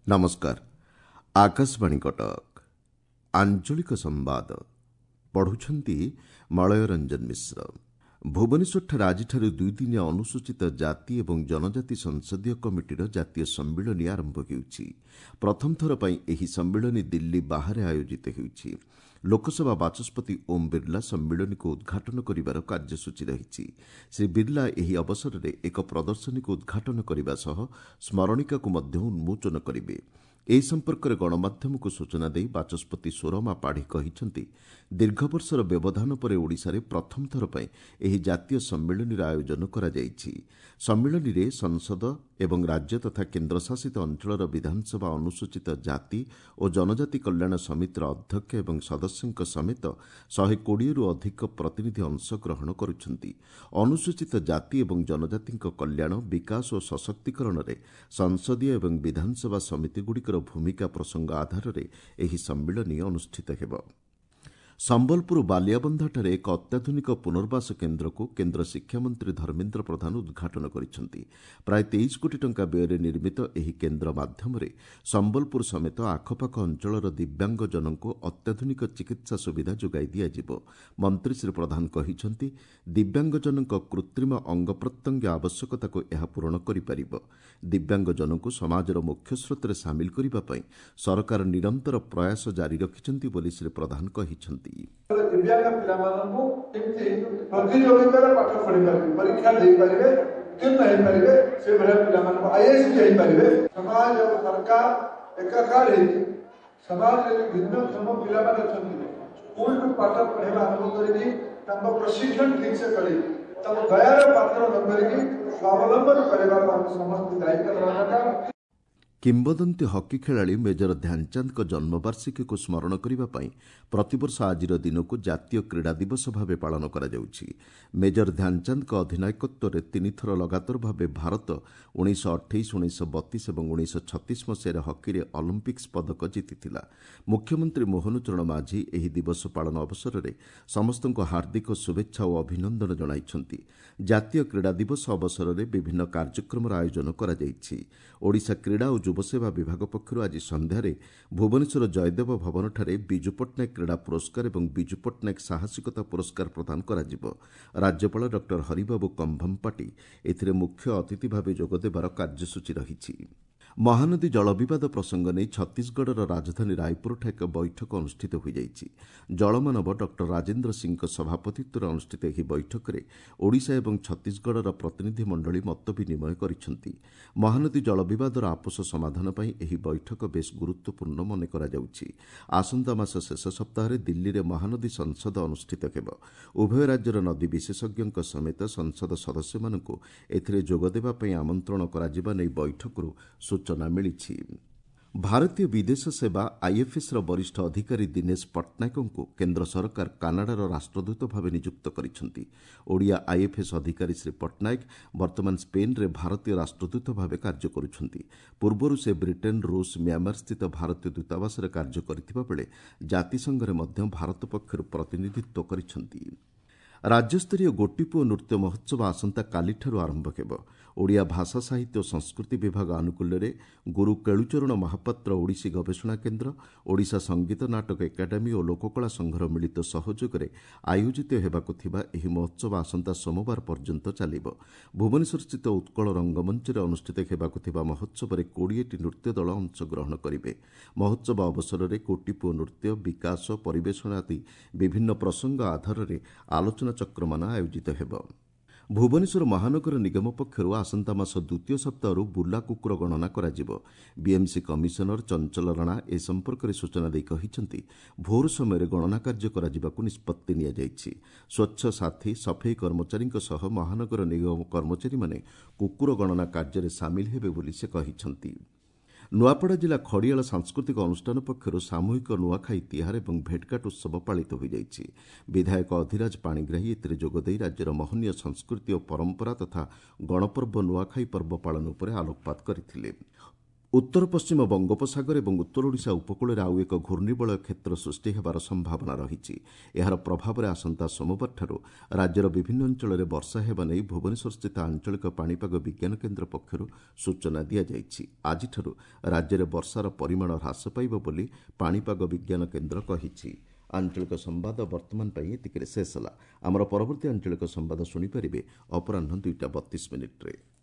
ନମସ୍କାର, ଆକାଶବାଣୀ କଟକ। ଆଞ୍ଚଳିକ ସମ୍ବାଦ ପଢ଼ୁଛନ୍ତି ମଳୟ ରଞ୍ଜନ ମିଶ୍ର। ଭୁବନେଶ୍ୱରଠାରେ ଆଜିଠାରୁ ଦୁଇଦିନିଆ ଅନୁସୂଚିତ ଜାତି ଏବଂ ଜନଜାତି ସଂସଦୀୟ କମିଟିର ଜାତୀୟ ସମ୍ମିଳନୀ ଆରମ୍ଭ ହେଉଛି। ପ୍ରଥମ ଥର ପାଇଁ ଏହି ସମ୍ମିଳନୀ ଦିଲ୍ଲୀ ବାହାରେ ଆୟୋଜିତ ହେଉଛି। ଲୋକସଭା ବାଚସ୍ପତି ଓମ୍ ବିର୍ଲା ସମ୍ମିଳନୀକୁ ଉଦ୍ଘାଟନ କରିବାର କାର୍ଯ୍ୟସୂଚୀ ରହିଛି। ଶ୍ରୀ ବିର୍ଲା ଏହି ଅବସରରେ ଏକ ପ୍ରଦର୍ଶନୀକୁ ଉଦ୍ଘାଟନ କରିବା ସହ ସ୍ମରଣିକାକୁ ମଧ୍ୟ ଉନ୍ମୋଚନ କରିବେ। ଏ ସମ୍ପର୍କରେ ଗଣମାଧ୍ୟମକୁ ସୂଚନା ଦେଇ ବାଚସ୍ପତି ସୁରମା ପାଢ଼ୀ କହିଛନ୍ତି, ଦୀର୍ଘବର୍ଷର ବ୍ୟବଧାନ ପରେ ଓଡ଼ିଶାରେ ପ୍ରଥମ ଥର ପାଇଁ ଏହି ଜାତୀୟ ସମ୍ମିଳନୀର ଆୟୋଜନ କରାଯାଇଛି। ସମ୍ମିଳନୀରେ ସଂସଦ ଏବଂ ରାଜ୍ୟ ତଥା କେନ୍ଦ୍ରଶାସିତ ଅଞ୍ଚଳର ବିଧାନସଭା ଅନୁସୂଚିତ ଜାତି ଓ ଜନଜାତି କଲ୍ୟାଣ ସମିତିର ଅଧ୍ୟକ୍ଷ ଏବଂ ସଦସ୍ୟଙ୍କ ସମେତ 120ରୁ ଅଧିକ ପ୍ରତିନିଧି ଅଂଶଗ୍ରହଣ କରୁଛନ୍ତି। ଅନୁସୂଚିତ ଜାତି ଏବଂ ଜନଜାତିଙ୍କ କଲ୍ୟାଣ, ବିକାଶ ଓ ସଶକ୍ତିକରଣରେ ସଂସଦୀୟ ଏବଂ ବିଧାନସଭା ସମିତିଗୁଡ଼ିକର ଭୂମିକା ପ୍ରସଙ୍ଗ ଆଧାରରେ ଏହି ସମ୍ମିଳନୀ ଅନୁଷ୍ଠିତ ହେବ। ସମ୍ବଲପୁର ବାଲିଆବନ୍ଧଠାରେ ଏକ ଅତ୍ୟାଧୁନିକ ପୁନର୍ବାସ କେନ୍ଦ୍ରକୁ କେନ୍ଦ୍ର ଶିକ୍ଷାମନ୍ତ୍ରୀ ଧର୍ମେନ୍ଦ୍ର ପ୍ରଧାନ ଉଦ୍ଘାଟନ କରିଛନ୍ତି। ପ୍ରାୟ 23 କୋଟି ଟଙ୍କା ବ୍ୟୟରେ ନିର୍ମିତ ଏହି କେନ୍ଦ୍ର ମାଧ୍ୟମରେ ସମ୍ବଲପୁର ସମେତ ଆଖପାଖ ଅଞ୍ଚଳର ଦିବ୍ୟାଙ୍ଗଜନଙ୍କୁ ଅତ୍ୟାଧୁନିକ ଚିକିତ୍ସା ସୁବିଧା ଯୋଗାଇ ଦିଆଯିବ। ମନ୍ତ୍ରୀ ଶ୍ରୀ ପ୍ରଧାନ କହିଛନ୍ତି, ଦିବ୍ୟାଙ୍ଗଜନଙ୍କ କୃତ୍ରିମ ଅଙ୍ଗପ୍ରତ୍ୟଙ୍ଗ ଆବଶ୍ୟକତାକୁ ଏହା ପୂରଣ କରିପାରିବ। ଦିବ୍ୟାଙ୍ଗଜନଙ୍କୁ ସମାଜର ମୁଖ୍ୟସ୍ରୋତରେ ସାମିଲ କରିବା ପାଇଁ ସରକାର ନିରନ୍ତର ପ୍ରୟାସ ଜାରି ରଖିଛନ୍ତି ବୋଲି ଶ୍ରୀ ପ୍ରଧାନ କହିଛନ୍ତି। ଦିବ୍ୟାଙ୍ଗ ପିଲାମାନଙ୍କୁ କେମିତି ପ୍ରତିଯୋଗିତାରେ ପାଠ ପଢ଼ିପାରିବେ, ପରୀକ୍ଷା ଦେଇପାରିବେ, ଉତ୍ତୀର୍ଣ୍ଣ ହେଇପାରିବେ, ସେଭଳିଆ ପିଲାମାନଙ୍କୁ ଆଇଏଏସ୍ ବି ହେଇପାରିବେ। ସମାଜ ଆଉ ସରକାର ଏକାକାର ହେଇକି ସମାଜରେ ଭିନ୍ନକ୍ଷମ ପିଲାମାନେ ଅଛନ୍ତି, ସ୍କୁଲରୁ ପାଠ ପଢ଼େଇବା ଆରମ୍ଭ କରିକି ତାଙ୍କ ପ୍ରଶିକ୍ଷଣ ଠିକ୍ ସେ କରିକି ତାଙ୍କୁ ଦୟାର ପାତ୍ର ନ କରିକି ସ୍ୱାବଲମ୍ବନ କରିବାକୁ ଆମେ ସମସ୍ତେ ଦାୟିତ୍ୱ ନେବା ଦରକାର। କିମ୍ବଦନ୍ତୀ ହକି ଖେଳାଳି ମେଜର ଧ୍ୟାନଚାନ୍ଦଙ୍କ ଜନ୍ମବାର୍ଷିକୀକୁ ସ୍ମରଣ କରିବା ପାଇଁ ପ୍ରତିବର୍ଷ ଆଜିର ଦିନକୁ ଜାତୀୟ କ୍ରୀଡ଼ା ଦିବସ ଭାବେ ପାଳନ କରାଯାଉଛି। ମେଜର ଧ୍ୟାନଚାନ୍ଦଙ୍କ ଅଧିନାୟକତ୍ୱରେ ତିନିଥର ଲଗାତାର ଭାବେ ଭାରତ 1928, 1932 ଏବଂ 1936 ମସିହାରେ ହକିରେ ଅଲିମ୍ପିକ୍ସ ପଦକ ଜିତିଥିଲା। ମୁଖ୍ୟମନ୍ତ୍ରୀ ମୋହନ ଚରଣ ମାଝୀ ଏହି ଦିବସ ପାଳନ ଅବସରରେ ସମସ୍ତଙ୍କୁ ହାର୍ଦ୍ଦିକ ଶୁଭେଚ୍ଛା ଓ ଅଭିନନ୍ଦନ ଜଣାଇଛନ୍ତି। ଜାତୀୟ କ୍ରୀଡ଼ା ଦିବସ ଅବସରରେ ବିଭିନ୍ନ କାର୍ଯ୍ୟକ୍ରମର ଆୟୋଜନ କରାଯାଇଛି। ଓଡ଼ିଶା କ୍ରୀଡ଼ା ଓ ଯୁବସେବା ବିଭାଗ ପକ୍ଷରୁ ଆଜି ସନ୍ଧ୍ୟାରେ ଭୁବନେଶ୍ୱର ଜୟଦେବ ଭବନଠାରେ ବିଜୁ ପଟ୍ଟନାୟକ କ୍ରୀଡ଼ା ପୁରସ୍କାର ଏବଂ ବିଜୁ ପଟ୍ଟନାୟକ ସାହସିକତା ପୁରସ୍କାର ପ୍ରଦାନ କରାଯିବ। ରାଜ୍ୟପାଳ ଡକ୍ଟର ହରିବାବୁ କମ୍ଭମପାଟି ଏଥିରେ ମୁଖ୍ୟ ଅତିଥି ଭାବେ ଯୋଗଦେବାର କାର୍ଯ୍ୟସୂଚୀ ରହିଛି। ମହାନଦୀ ଜଳ ବିବାଦ ପ୍ରସଙ୍ଗ ନେଇ ଛତିଶଗଡ଼ର ରାଜଧାନୀ ରାୟପୁରଠାରେ ଏକ ବୈଠକ ଅନୁଷ୍ଠିତ ହୋଇଯାଇଛି। ଜଳମାନବ ଡକ୍ଟର ରାଜେନ୍ଦ୍ର ସିଂଙ୍କ ସଭାପତିତ୍ୱରେ ଅନୁଷ୍ଠିତ ଏହି ବୈଠକରେ ଓଡ଼ିଶା ଏବଂ ଛତିଶଗଡ଼ର ପ୍ରତିନିଧି ମଣ୍ଡଳୀ ମତ ବିନିମୟ କରିଛନ୍ତି। ମହାନଦୀ ଜଳ ବିବାଦର ଆପୋଷ ସମାଧାନ ପାଇଁ ଏହି ବୈଠକ ବେଶ୍ ଗୁରୁତ୍ୱପୂର୍ଣ୍ଣ ମନେ କରାଯାଉଛି। ଆସନ୍ତା ମାସ ଶେଷ ସପ୍ତାହରେ ଦିଲ୍ଲୀରେ ମହାନଦୀ ସଂସଦ ଅନୁଷ୍ଠିତ ହେବ। ଉଭୟ ରାଜ୍ୟର ନଦୀ ବିଶେଷଜ୍ଞଙ୍କ ସମେତ ସଂସଦ ସଦସ୍ୟମାନଙ୍କୁ ଏଥିରେ ଯୋଗଦେବା ପାଇଁ ଆମନ୍ତ୍ରଣ କରାଯିବା ନେଇ ବୈଠକରୁ ସୂଚନା ମିଳିଛି। ଭାରତୀୟ ବିଦେଶ ସେବା ଆଇଏଫ୍ଏସ୍ର ବରିଷ୍ଠ ଅଧିକାରୀ ଦିନେଶ ପଟ୍ଟନାୟକଙ୍କୁ କେନ୍ଦ୍ର ସରକାର କାନାଡାର ରାଷ୍ଟ୍ରଦୂତ ଭାବେ ନିଯୁକ୍ତ କରିଛନ୍ତି। ଓଡ଼ିଆ ଆଇଏଫ୍ଏସ୍ ଅଧିକାରୀ ଶ୍ରୀ ପଟ୍ଟନାୟକ ବର୍ତ୍ତମାନ ସ୍ପେନ୍ରେ ଭାରତୀୟ ରାଷ୍ଟ୍ରଦୂତ ଭାବେ କାର୍ଯ୍ୟ କରୁଛନ୍ତି। ପୂର୍ବରୁ ସେ ବ୍ରିଟେନ୍, ରୁଷ, ମ୍ୟାମାର ସ୍ଥିତ ଭାରତୀୟ ଦୂତାବାସରେ କାର୍ଯ୍ୟ କରିଥିବା ବେଳେ ଜାତିସଂଘରେ ମଧ୍ୟ ଭାରତ ପକ୍ଷରୁ ପ୍ରତିନିଧିତ୍ୱ କରିଛନ୍ତି। ରାଜ୍ୟସ୍ତରୀୟ ଗୋଟିପୁଅ ନୃତ୍ୟ ମହୋତ୍ସବ ଆସନ୍ତାକାଲିଠାରୁ ଆରମ୍ଭ ହେବ। ଓଡ଼ିଆ ଭାଷା, ସାହିତ୍ୟ ଓ ସଂସ୍କୃତି ବିଭାଗ ଆନୁକୂଲ୍ୟରେ ଗୁରୁ କେଳୁଚରଣ ମହାପାତ୍ର ଓଡ଼ିଶୀ ଗବେଷଣା କେନ୍ଦ୍ର, ଓଡ଼ିଶା ସଙ୍ଗୀତ ନାଟକ ଏକାଡେମୀ ଓ ଲୋକକଳା ସଂଘର ମିଳିତ ସହଯୋଗରେ ଆୟୋଜିତ ହେବାକୁ ଥିବା ଏହି ମହୋତ୍ସବ ଆସନ୍ତା ସୋମବାର ପର୍ଯ୍ୟନ୍ତ ଚାଲିବ। ଭୁବନେଶ୍ୱରସ୍ଥିତ ଉତ୍କଳ ରଙ୍ଗମଞ୍ଚରେ ଅନୁଷ୍ଠିତ ହେବାକୁ ଥିବା ମହୋତ୍ସବରେ 20ଟି ନୃତ୍ୟ ଦଳ ଅଂଶଗ୍ରହଣ କରିବେ। ମହୋତ୍ସବ ଅବସରରେ ଗୋଟିପୁଅ ନୃତ୍ୟ, ବିକାଶ, ପରିବେଷଣ ଆଦି ବିଭିନ୍ନ ପ୍ରସଙ୍ଗ ଆଧାରରେ ଆଲୋଚନାଚକ୍ରମାନ ଆୟୋଜିତ ହେବ। ଭୁବନେଶ୍ୱର ମହାନଗର ନିଗମ ପକ୍ଷରୁ ଆସନ୍ତା ମାସ ଦ୍ୱିତୀୟ ସପ୍ତାହରୁ ବୁଲା କୁକୁର ଗଣନା କରାଯିବ। ବିଏମ୍ସି କମିଶନର ଚଞ୍ଚଲ ରାଣା ଏ ସମ୍ପର୍କରେ ସୂଚନା ଦେଇ କହିଛନ୍ତି, ଭୋର ସମୟରେ ଗଣନା କାର୍ଯ୍ୟ କରାଯିବାକୁ ନିଷ୍ପତ୍ତି ନିଆଯାଇଛି। ସ୍ୱଚ୍ଛ ସାଥୀ, ସଫେଇ କର୍ମଚାରୀଙ୍କ ସହ ମହାନଗର ନିଗମ କର୍ମଚାରୀମାନେ କୁକୁର ଗଣନା କାର୍ଯ୍ୟରେ ସାମିଲ ହେବେ ବୋଲି ସେ କହିଛନ୍ତି। ନୂଆପଡ଼ା ଜିଲ୍ଲା ଖଡ଼ିଆଳ ସାଂସ୍କୃତିକ ଅନୁଷ୍ଠାନ ପକ୍ଷରୁ ସାମୂହିକ ନୂଆଖାଇ ତିହାର ଏବଂ ଭେଟଘାଟ ଉତ୍ସବ ପାଳିତ ହୋଇଯାଇଛି। ବିଧାୟକ ଅଧିରାଜ ପାଣିଗ୍ରାହୀ ଏଥିରେ ଯୋଗଦେଇ ରାଜ୍ୟର ମହନୀୟ ସଂସ୍କୃତି ଓ ପରମ୍ପରା ତଥା ଗଣପର୍ବ ନୂଆଖାଇ ପର୍ବ ପାଳନ ଉପରେ ଆଲୋକପାତ କରିଥିଲେ। ଉତ୍ତର ପଶ୍ଚିମ ବଙ୍ଗୋପସାଗର ଏବଂ ଉତ୍ତର ଓଡ଼ିଶା ଉପକୂଳରେ ଆଉ ଏକ ଘୂର୍ଣ୍ଣିବଳୟ କ୍ଷେତ୍ର ସୃଷ୍ଟି ହେବାର ସମ୍ଭାବନା ରହିଛି। ଏହାର ପ୍ରଭାବରେ ଆସନ୍ତା ସୋମବାରଠାରୁ ରାଜ୍ୟର ବିଭିନ୍ନ ଅଞ୍ଚଳରେ ବର୍ଷା ହେବା ନେଇ ଭୁବନେଶ୍ୱରସ୍ଥିତ ଆଞ୍ଚଳିକ ପାଣିପାଗ ବିଜ୍ଞାନ କେନ୍ଦ୍ର ପକ୍ଷରୁ ସୂଚନା ଦିଆଯାଇଛି। ଆଜିଠାରୁ ରାଜ୍ୟରେ ବର୍ଷାର ପରିମାଣ ହ୍ରାସ ପାଇବ ବୋଲି ପାଣିପାଗ ବିଜ୍ଞାନ କେନ୍ଦ୍ର କହିଛି। ଆଞ୍ଚଳିକ ସମ୍ବାଦ ବର୍ତ୍ତମାନ ପାଇଁ ଏତିକିରେ ଶେଷ ହେଲା। ଆମର ପରବର୍ତ୍ତୀ ଆଞ୍ଚଳିକ ସମ୍ବାଦ ଶୁଣିପାରିବେ ଅପରାହ୍ନ 2ଟା 32 ମିନିଟ୍ରେ।